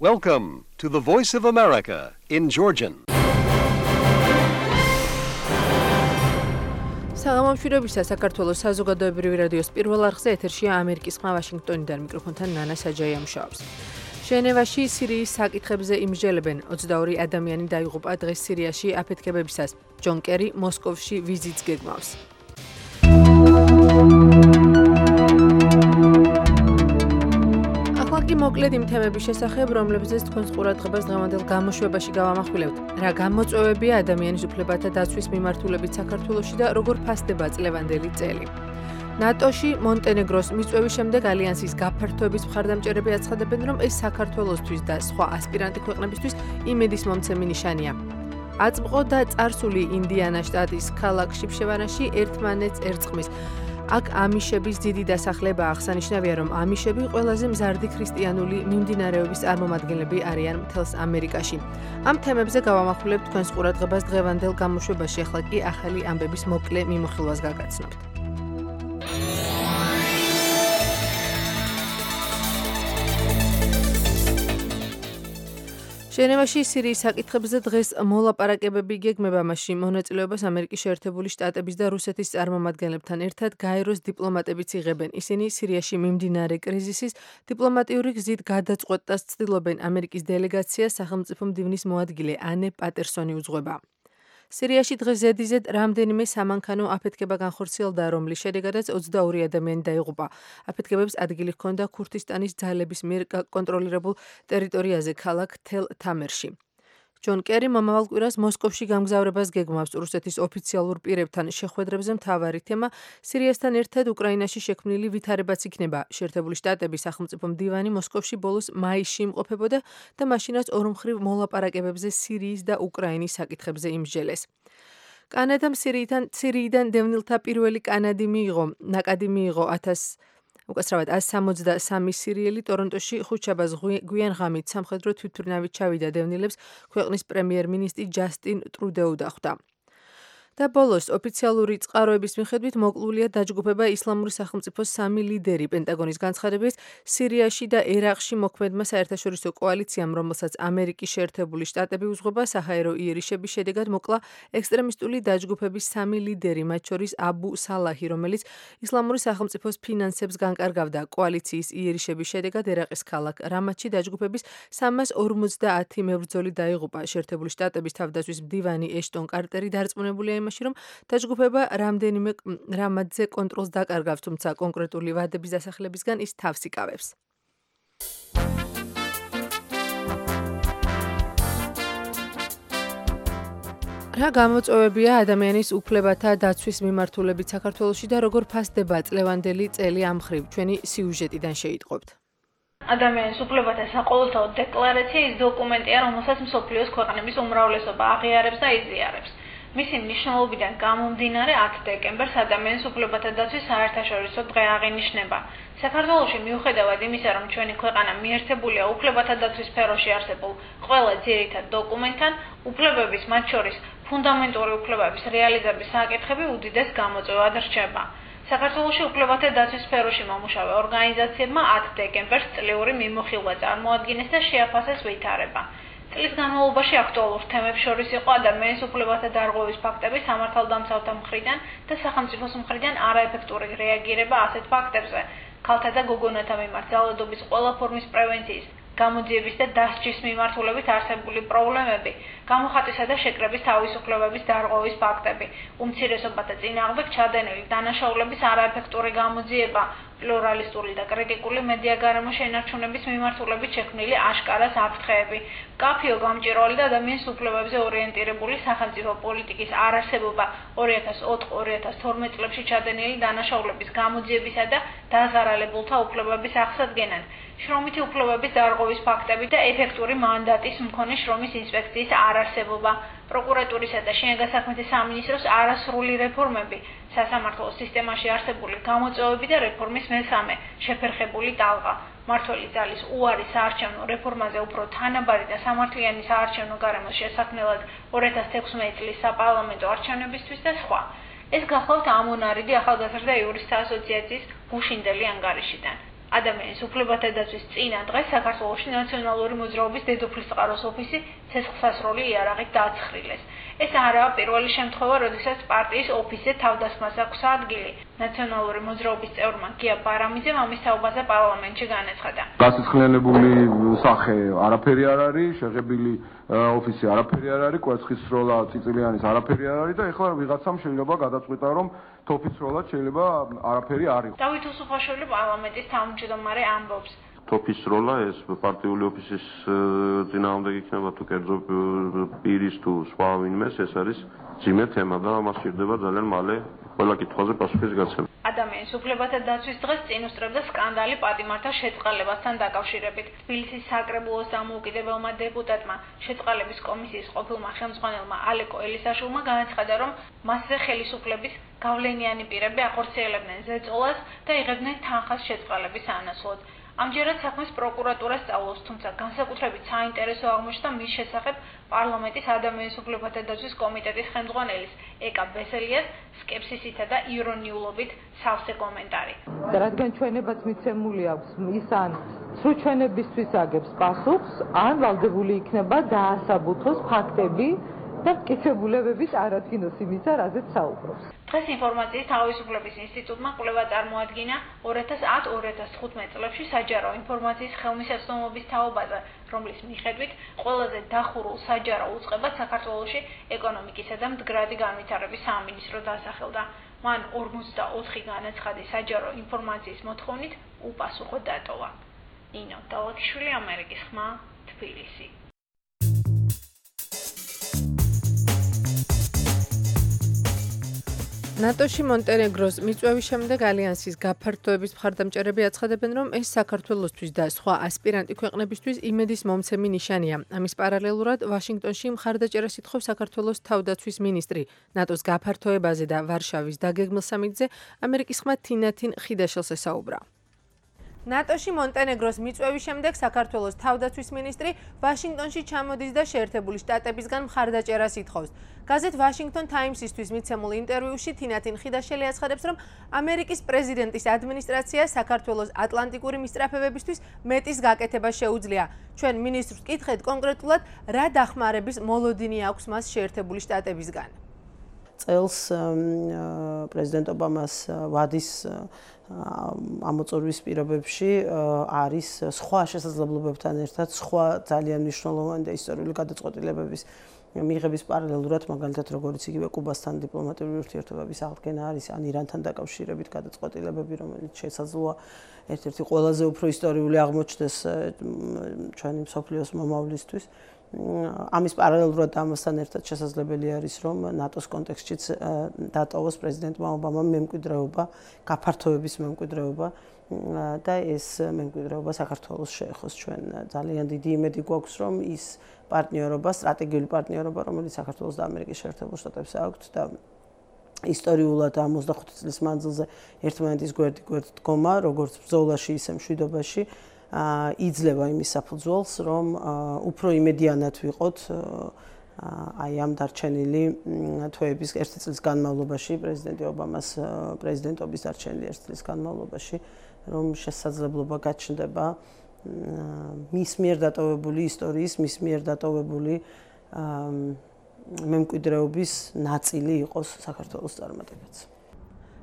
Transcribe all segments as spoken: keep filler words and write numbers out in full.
Welcome to the Voice of America in Georgian. საღამომშვიდობისა საქართველოს საზოგადოებრივი რადიოს პირველ არხზე ეთერშია ამერიკის ხმა ვაშინგტონიდან მიკროფონთან ნანა საჯაია მუშაობს. ჟენევაში სირიის საკითხებზე იმსჯელებენ ოცდაორი ადამიანი დაიღუპა დღეს სირიაში აფეთქებებისას. ჯონ კერი მოსკოვში ვიზიტს გეგმავს. ახლა მოკლედ იმ თემების შესახებ, რომლებზეც თქვენს ყურადღებას დღევანდელ გამოშვებაში გავამახვილებთ. რა გამოწვევებია ადამიანის უფლებათა დაცვის მიმართულებით საქართველოში და როგორ ფასდება წლევანდელი წელი. ნატოში მონტენეგროს მიწვევის შემდეგ ალიანსის გაფართოების მხარდამჭერები აცხადებენ, რომ ეს საქართველოსთვის და სხვა ასპირანტი ქვეყნებისთვის იმედის მომცემი ნიშანია. აწმყო და წარსული ინდიანას შტატის ქალაქ შიფშევანაში ერთმანეთს ერწყმის. აქ ამიშების დიდი დასახლება აღსანიშნავია, რომ ამიშები ყველაზე მზარდი ქრისტიანული მიმდინარეობის წარმომადგენლები არიან მთელს ამერიკაში. ამ თემებზე გავამახვილებთ თქვენს ყურადღებას დღევანდელ გამოშვებაში, ახლა კი ახალი ამბების მოკლე მიმოხილვას გაგაცნობთ. ჟენევაში სირიის საკითხებზე დღეს მოლაპარაკებები გეგმება, მასში მონაწილეობას ამერიკის შეერთებული შტატების და რუსეთის წარმომადგენლებთან ერთად გაეროს დიპლომატებიც იღებენ. ისინი სირიაში მიმდინარე კრიზისის დიპლომატიური გზით გადაწყვეტას ცდილობენ. ამერიკის დელეგაციას სახელმწიფო მდივნის მოადგილე ანე პატერსონი უძღვება. სირიაში დღეს ზედიზედ რამდენიმე სამანქანო აფეთქება განხორციელდა, რომლის შედეგადაც ოცდაორი ადამიანი დაიღუპა. აფეთქებებს ადგილი ჰქონდა ქურთისტანის ძალების მიერ კონტროლირებულ ტერიტორიაზე ქალაქ თელ თამერში. ჯონ კერი მომავალ კვირას მოსკოვში გამგზავრებას გეგმავს. რუსეთის ოფიციალურ პირებთან შეხვედრებზე მთავარი თემა სირიასთან ერთად უკრაინაში შექმნილი ვითარებაც იქნება. შეერთებული შტატების სახელმწიფო მდივანი მოსკოვში ბოლოს მაისში იმყოფებოდა და მაშინაც ორმხრივ მოლაპარაკებებზე სირიის და უკრაინის საკითხებზე იმსჯელეს. კანადამ სირიიდან სირიიდან დევნილთა პირველი კანადი მიიღო. ნაკადი მიიღო ათას უკაცრავად ათს სამოცდასამი სირიელი. ტორონტოში ხუთშაბათს გვიან ღამით სამხედრო თვითმფრინავით ჩავიდა დევნილებს ქვეყნის პრემიერ-მინისტრი ჯასტინ ტრუდეუ დახვდა. და ბოლოს ოფიციალური წყაროების მიხედვით მოკლულია დაჯგუფება ისლამური სახელმწიფოს სამი ლიდერი. პენტაგონის განცხადებით, სირიაში და ერაყში მოქმედმა საერთაშორისო კოალიციამ, რომელსაც ამერიკის შეერთებული შტატები უძღვება, საჰაერო იერიშების შედეგად მოკლა ექსტრემისტული დაჯგუფების სამი ლიდერი, მათ შორის აბუ სალაჰი, რომელიც ისლამური სახელმწიფოს ფინანსებს განკარგავდა. კოალიციის იერიშების შედეგად ერაყის ქალაქ რამათში დაჯგუფების სამას ორმოცდაათი მებრძოლი დაიღუპა. შეერთებული შტატების თავდაცვის მდივანი ეშტონ კარტერი დარწმუნებულია იმაში, რომ დაჯგუფება რამდენიმე რამათზე კონტროლს დაკარგავს, თუმცა კონკრეტული ვადების დასახელებისგან ის თავს იკავებს. რა გამოწვევებია ადამიანის უფლებათა დაცვის მიმართულებით საქართველოში და როგორ ფასდება წლევანდელი წელი ამ მხრივ? ჩვენი სიუჟეტიდან შეიტყობთ. ადამიანის უფლებათა საყოველთაო დეკლარაცია ის დოკუმენტია, რომელსაც მსოფლიოს ქვეყნების უმრავლესობა აღიარებს და იზიარებს. მისი მნიშვნელობიდან გამომდინარე ათი დეკემბერს ადამიანის უფლებათა დაცვის საერთაშორისო დღე აღინიშნება. საქართველოში მიუხედავად იმისა, რომ ჩვენი ქვეყანა მიერთებულია უფლებათა დაცვის სფეროში არსებულ ყველა ძირითად დოკუმენტთან, უფლებების, მათ შორის ფუნდამენტური უფლებების რეალიზების საკითხები უდიდეს გამოწვევად რჩება. საქართველოში უფლებათა დაცვის სფეროში მომუშავე ორგანიზაციებმა ათი დეკემბერს წლიური მიმოხილვა წარმოადგინეს და შეაფასეს ვითარება. წლის განმავლობაში აქტუალურ თემებს შორის იყო ადამიანის უფლებათა დარღვევის ფაქტები სამართალდამცავთა მხრიდან და სახელმწიფოს მხრიდან არაეფექტური რეაგირება ასეთ ფაქტებზე, ქალთა და გოგონათა მიმართ ძალადობის ყველა ფორმის პრევენციის, გამოძიების და დასჯის მიმართულებით არსებული პრობლემები, გამოხატვისა და შეკრების თავისუფლებების დარღვევის ფაქტები, უმცირესობათა წინააღმდეგ ჩადენილი დანაშაულების არაეფექტური გამოძიება, პლურალისტური და კრიტიკული მედია გარემო შენარჩუნების მიმართულებით შექმნილი აშკარა საფრთხეები, მკაფიო გამჭვირვალე და ადამიანის უფლებებზე ორიენტირებული სახელმწიფო პოლიტიკის არარსებობა ორი ათას ოთხ ორი ათას თორმეტ წლებში ჩადენილი დანაშაულების გამოძიებისა და დაზარალებულთა უფლებების აღსადგენად, შრომითი უფლებების დარღვევის ფაქტები და ეფექტური მანდატის მქონე შრომის ინსპექციის არარსებობა, პროკურატურისა და შინაგან საქმეთა სამინისტროს არასრული რეფორმები, სასამართლო სისტემაში არსებული გამოწვევები და რეფორმის მესამე შეფერხებული ტალღა, მმართველი ძალის უარი საარჩევნო რეფორმაზე უფრო თანაბარი და სამართლიანი საარჩევნო გარემოს შესაქმნელად ორი ათას თექვსმეტი წლის საპარლამენტო არჩევნებისთვის და სხვა. ეს გახლავთ ამონარიდი ახალგაზრდა იურისტთა ასოციაციის გუშინდელი ანგარიშიდან. ადამიანის უფლებათა დაცვის წინა დღეს საქართველოში ნაციონალური მოძრაობის დედოფლის წყაროს ოფისი ცეცხლსასროლი იარაღით დააცხრილეს. ეს არაა პირველი შემთხვევა, როდესაც პარტიის ოფისზე თავდასხმას აქვს ადგილი. ნაციონალური მოძრაობის წევრმა გია ბარამიძემ ამის თაობაზე პარლამენტში განაცხადა. გასაცხლიანებული სახე არაფერი არ არის, შეღებილი ოფისი არაფერი არ არის, კვერცხის სროლა წიწილიანის არაფერი არ არის და ეხლა ვიღაცამ შეიძლება გადაწყვიტა, რომ თოფის სროლაც შეიძლება არაფერი არ იყოს. დავით უსუფაშვილი პარლამენტის თავმჯდომარე ამბობს. თოფის სროლა ეს პარტიული ოფისის წინააღმდეგ იქნება თუ კერძო პირის თუ სხვა ვინმეს, ეს არის ძიმე თემა და ამას სჭირდება ძალიან მალე ყველა კითხვაზე პასუხის გაცემა. ადამიანის უფლებათა დაცვის დღეს წინ უსწრებდა სკანდალი პატიმართა შეწყალებასთან დაკავშირებით. თბილისის საკრებულოს დამოუკიდებელმა დეპუტატმა შეწყალების კომისიის ყოფილმა ხელმძღვანელმა ალეკო ელისაშვილმა განაცხადა, რომ მასზე ხელისუფლების გავლენიანი პირები ახორციელებდნენ ზეწოლას და იღებდნენ თანხას შეწყალების ანაცვლოდ. ამჯერად საქმეს პროკურატურა სწავლობს, თუმცა განსაკუთრებით საინტერესო აღმოჩნდა მის შესახებ პარლამენტის ადამიანის უფლებათა დაცვის კომიტეტის ხელმძღვანელის ეკა ბესელიას სკეპსისითა და ირონიულობით სავსე კომენტარი. რადგან ჩვენებაც მიცემული აქვს, ის ან სრულ ჩვენებისთვის აგებს პასუხს, ან ვალდებული იქნება დაასაბუთოს ფაქტები და მტკიცებულებები წარადგინოს იმისა, რაზეც საუბრობს. დღეს ინფორმაციის თავისუფლების ინსტიტუტმა კვლევა წარმოადგინა ორი ათას ათი ორი ათას თხუთმეტ წლებში საჯარო ინფორმაციის ხელმისაწვდომობის თაობაზე, რომლის მიხედვით ყველაზე დახურულ საჯარო უწყებას საქართველოში ეკონომიკისა და მდგრადი განვითარების სამინისტრო დასახელდა. მან ორმოცდაოთხი განაცხადი საჯარო ინფორმაციის მოთხოვნით უპასუხო დატოვა. ნინო დალაკიშვილი, ამერიკის ხმა, თბილისი. ნატოში მონტენეგროს მიწვევის შემდეგ ალიანსის გაფართოების მხარდამჭერები აცხადებენ, რომ ეს საქართველოსთვის და სხვა ასპირანტი ქვეყნებისთვის იმედის მომცემი ნიშანია. ამის პარალელურად ვაშინგტონში მხარდაჭერას ითხოვს საქართველოს თავდაცვის მინისტრი. ნატოს გაფართოებაზე და ვარშავის დაგეგმილ სამიტზე ამერიკის ხმა თინათინ ხიდაშელს ესაუბრა. ნატოში მონტენეგროს მიწვევის შემდეგ საქართველოს თავდაცვის მინისტრი ვაშინგტონში ჩამოდის და შეერთებული შტატებისგან მხარდაჭერას ითხოვს. გაზეთ Washington Times-ისთვის მიცემულ ინტერვიუში თინათინ ხიდაშელი აცხადებს, რომ ამერიკის პრეზიდენტის ადმინისტრაცია საქართველოს ატლანტიკური მისწრაფებებისთვის მეტის გაკეთება შეუძლია. ჩვენ მინისტრს ვკითხეთ კონკრეტულად, რა დახმარების მოლოდინი აქვს მას შეერთებული შტატებისგან. წელს პრეზიდენტ ობამას ვადის ამოწურვის პირობებში არის სხვა შესაძლებლობებთან ერთად სხვა ძალიან მნიშვნელოვანი და ისტორიული გადაწყვეტილებების მიღების პარალელურად, მაგალითად როგორც იგივე კუბასთან დიპლომატიური ურთიერთობების აღდგენა არის, ან ირანთან დაკავშირებით გადაწყვეტილებები, რომელიც შესაძლოა ერთ-ერთი ყველაზე უფრო ისტორიული აღმოჩნდეს ჩვენი მსოფლიოს მომავლისთვის. ამის პარალელურად ამასთან ერთად შესაძლებელი არის, რომ ნატოს კონტექსტშიც დატოვოს პრეზიდენტმა ობამამ მემკვიდრეობა, გაფართოების მემკვიდრეობა და ეს მემკვიდრეობა საქართველოს შეეხოს. ჩვენ ძალიან დიდი იმედი გვაქვს, რომ ის პარტნიორობა, სტრატეგიული პარტნიორობა, რომელიც საქართველოს და ამერიკის შეერთებულ შტატებს აქვთ და ისტორიულად ოცდახუთი წლის მანძილზე ერთმანეთის გვერდი გვერდ დგომა, როგორც ბრძოლაში, ისე მშვიდობაში, იძლევა იმის საფუძველს, რომ უფრო იმედიანად ვიყოთ აი ამ დარჩენილი თვეების ერთი წლის განმავლობაში, პრეზიდენტი ობამას პრეზიდენტობის დარჩენილი ერთი წლის განმავლობაში, რომ შესაძლებლობა გაჩნდება მის მიერ დატოვებული ისტორიის, მის მიერ დატოვებული მემკვიდრეობის ნაწილი იყოს საქართველოს წარმატებაც.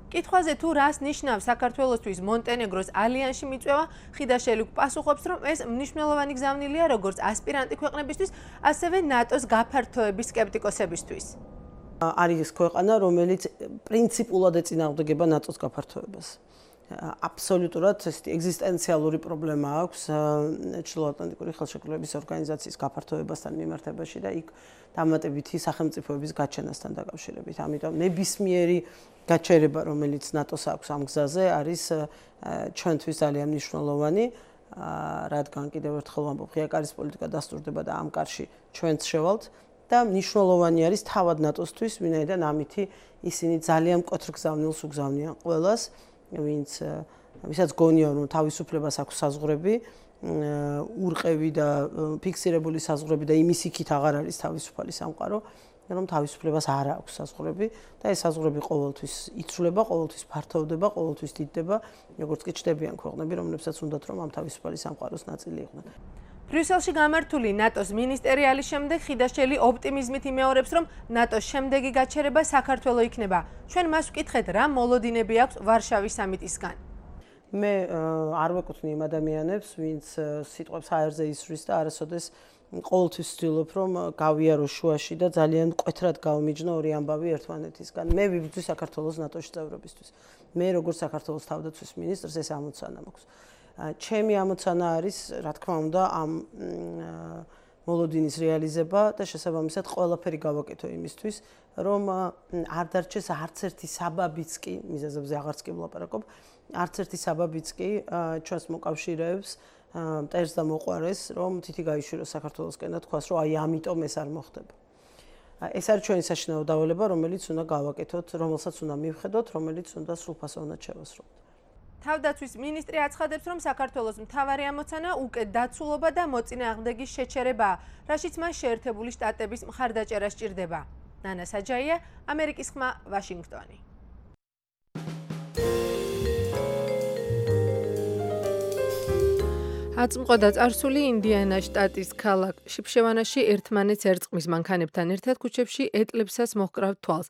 კითხვაზე თუ რას ნიშნავს საქართველოსთვის მონტენეგროს ალიანსში მიწვევა, ხიდაშელი პასუხობს, რომ ეს მნიშვნელოვანი გზავნილია როგორც ასპირანტი ქვეყნებისთვის, ასევე ნატოს გაფართოების სკეპტიკოსებისთვის. არის ქვეყანა, რომელიც პრინციპულად ეწინააღმდეგება ნატოს გაფართოებას. აბსოლუტურად ესეთი ეგზისტენციალური პრობლემა აქვს ჩრდილოატლანტიკური ხელშეკრულების ორგანიზაციის გაფართოებასთან მიმართებაში და იქ დამატებითი სახელმწიფოების გაჩენასთან დაკავშირებით. ამიტომ ნებისმიერი გაჩერება, რომელიც ნატოს აქვს ამ გზაზე, არის ჩვენთვის ძალიან მნიშვნელოვანი, რადგან კიდევ ერთხელ ვამბობ, ღიაკარის პოლიტიკა დასტურდება და ამ კარში ჩვენც შევალთ და მნიშვნელოვანი არის თავად ნატოსთვის, ვინაიდან ამითი ისინი ძალიან მკვეთრ გზავნილს უგზავნიან ყველას, ვინც ვისაც გონია რომ თავისუფლებას აქვს საზღვრები, ურყევი და ფიქსირებული საზღვრები და იმის იქით აღარ არის თავისუფალი სამყარო, რომ თავისუფლებას არ აქვს საზღვრები და ეს საზღვრები ყოველთვის იცვლება, ყოველთვის ფართოვდება, ყოველთვის დიდდება, როგორც კი ჩდებიან ქვეყნები, რომლებსაც უნდათ რომ ამ თავისუფალი სამყაროს ნაწილი იყვნენ. ბრიუსელში გამართული ნატოს მინისტერიალის შემდეგ ხიდაშელი ოპტიმიზმით იმეორებს, რომ ნატოს შემდეგი გაჩერება საქართველოს იქნება. ჩვენ მას ვკითხეთ, რა მოლოდინები აქვს ვარშავის სამიტისგან. მე არ ვეკუთვნი იმ ადამიანებს, ვინც სიტყვებს აერზე ისვრის და არასოდეს ყოველთვის ვცდილობ, რომ გავიარო შუაში და ძალიან მკვეთრად გავმიჯნო ორი ამბავი ერთმანეთისგან. მე ვიბრძვი საქართველოს ნატოში წევრობისთვის. მე როგორც საქართველოს თავდაცვის მინისტრს ეს ამოცანა მაქვს. ჩემი ამოცანა არის, რა თქმა უნდა, ამ მოლოდინის რეალიზება და შესაბამისად ყველაფერი გავაკეთო იმისთვის, რომ არ დარჩეს არც ერთი საბაბიც კი, მიზეზებზე აღარც კი ვლაპარაკობ, არც ერთი საბაბიც კი ჩვენს მოკავშირეებს მტერს და მოყვარეს, რომ თითი გაიშვიროს საქართველოსკენ და თქვას, რომ აი ამიტომ ეს არ მოხდება. ეს არის ჩვენი საშინაო დავალება, რომელიც უნდა გავაკეთოთ, რომელსაც უნდა მივხედოთ, რომელიც უნდა სრულფასოვნად შევასრულოთ. თავდაცვის მინისტრი აცხადებს, რომ საქართველოს მთავარი ამოცანა უკეთ დაცულობა და მოწინააღმდეგის შეჩერებაა, რაშიც მას შეერთებული შტატების მხარდაჭერა სჭირდება. ნანა საჯაია, ამერიკის ხმა, ვაშინგტონი. აწმყოდა წარსული ინდიანას შტატის ქალაქ შიფშევანაში ერთმანეთს ერწყმის მანქანებთან ერთად ქუჩებში ეტლებსაც მოჰკრავთ თვალს.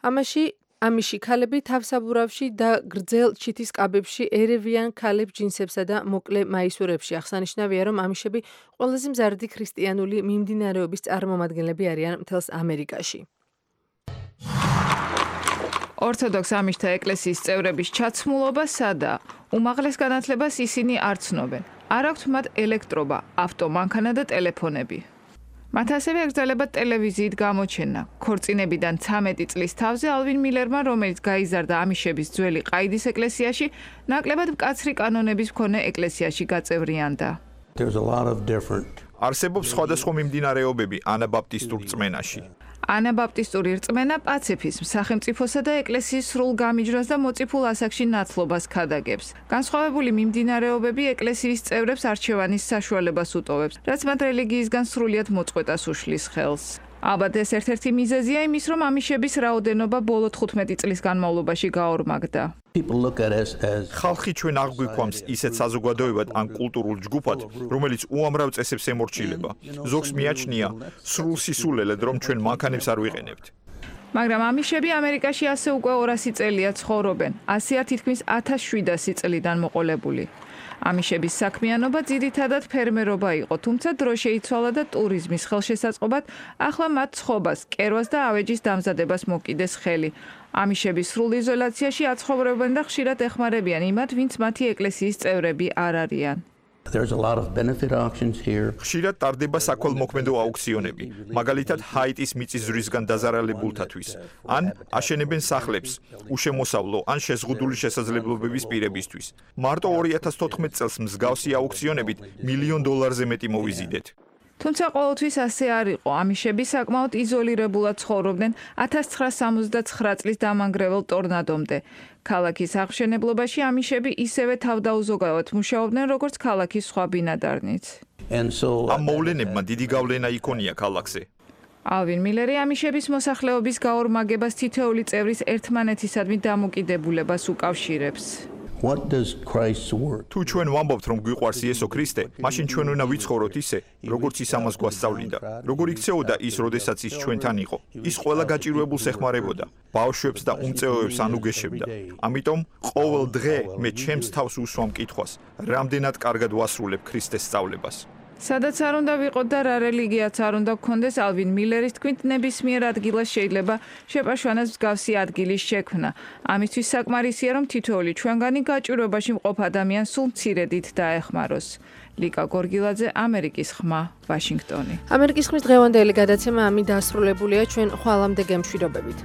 ამაში ამიში ქალები თავსაბურავში და გრძელ ჩითის კაბებში ერევიან ქალებს ჯინსებსა და მოკლე მაისურებში. აღსანიშნავია, რომ ამიშები ყველაზე მზარდი ქრისტიანული მიმდინარეობის წარმომადგენლები არიან მთელს ამერიკაში. ორთოდოქს ამიშთა ეკლესიის წევრების ჩაცმულობა სადაა. უმაღლეს განათლებას ისინი არ ცნობენ. არ აქვთ მათ ელექტრობა, ავტომანქანა და ტელეფონები. მათ ასევე ეკრძალებათ ტელევიზიით გამოჩენა. ქორწინებიდან ცამეტი წლის თავზე ალვინ მილერმა, რომელიც გაიზარდა ამიშების ძველი ყაიდის ეკლესიაში, ნაკლებად მკაცრი კანონების მქონე ეკლესიაში გაწევრიანდა. არსებობს სხვადასხვა მიმდინარეობები ანაბაპტისტურ რწმენაში. ანაბაპტისტური რწმენა პაციფიზმს, სახელმწიფოსა და ეკლესიის სრულ გამიჯვას და მოწიფულ ასაკში ნაცლობას ქადაგებს. განსხვავებული მიმდინარეობები ეკლესიის წევრებს არჩევანის საშუალებას უტოვებს, რაც მათ რელიგიისგან სრულიად მოწყვეტას უშლის ხელს. ალბათ ეს ერთ-ერთი მიზეზია იმის, რომ ამიშების რაოდენობა ბოლო თხუთმეტი წლის განმავლობაში გაორმაგდა. ხალხი ჩვენ არ გვიქვამს ისეთ საზოგადოებად ან კულტურულ ჯგუფად, რომელიც უამრავ წესებს ემორჩილება. ზოგს მიაჩნია სრულ სისულელედ, რომ ჩვენ მანქანებს არ ვიყენებთ. მაგრამ ამიშები ამერიკაში ასე უკვე ორასი წელია ცხოვრობენ, ასეა თითქმის ათას შვიდასი წლიდან მოყოლებული. ამიშების საქმიანობა ძირითადად ფერმერობა იყო, თუმცა დრო შეიცვალა და ტურიზმის ხელშესაწყობად ახლა მათ ცხობას, კერვას და ავეჯის დამზადებას მოკიდეს ხელი. ამიშების სრულ იზოლაციაში აცხოვრებენ და ხშირად ეხმარებიან იმათ, ვინც მათი ეკლესიის წევრები არ არიან. ხშირად ტარდება საქველმოქმედო აუქციონები, მაგალითად ჰაიტის მიწისძვრისგან დაზარალებულთათვის, ან აშენებენ სახლებს, უშემოსავლო ან შეზღუდული შესაძლებლობების პირებისთვის. მარტო ორი ათას თოთხმეტ წელს მსგავსი აუქციონებით მილიონ დოლარზე მეტი მოვიზიდეთ. თუმცა ყოველთვის ასე არ იყო. ამიშები საკმაოდ იზოლირებულად ცხოვრობდნენ ათას ცხრაასი სამოცდაცხრა წლის დამანგრევალ ტორნადომდე. ქალაქის აღმშენებლობაში ამიშები ისევე თავდაუზოგავად მუშაობდნენ, როგორც ქალაქის სხვა ბინადარნიც. ამ მოვლენებმა დიდი გავლენა იქონია ქალაქზე. ალვინ მილერი ამიშების მოსახლეობის გაორმაგებას თითოეული წევრის ერთმანეთისადმი დამოკიდებულებას უკავშირებს. თუ ჩვენ ვამბობთ, რომ გვიყვარს იესო ქრისტე, მაშინ ჩვენ უნდა ვიცხოვროთ ისე, როგორც ის ამას გვასწავლიდა. როგორ იქცეოდა ის, როდესაც ის ჩვენთან იყო. ის ყველა გაჭირვებულს ეხმარებოდა, ბავშვებს და უმწეოებს ანუგეშებდა. ამიტომ ყოველ დღე მე ჩემს თავს უსვამ კითხვას, რამდენად კარგად ვასრულებ ქრისტეს სწავლებას. სადაც არ უნდა ვიყოთ და რა რელიგიაც არ უნდა გქონდეს, ალვინ მილერის თქმით, ნებისმიერ ადგილას შეიძლება შეპაშვანას მსგავსი ადგილის შექმნა. ამისთვის საკმარისია, რომ თითოეული ჩვენგანი გაჭირვებაში მყოფ ადამიანს სულ მცირედით დაეხმაროს. ლიკა გორგილაძე, ამერიკის ხმა, ვაშინგტონი. ამერიკის ხმის დღევანდელი გადაცემა ამით დასრულებულია. ჩვენ ხვალამდე გემშვიდობებით.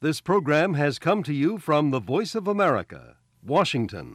This program has come to you from the Voice of America, Washington.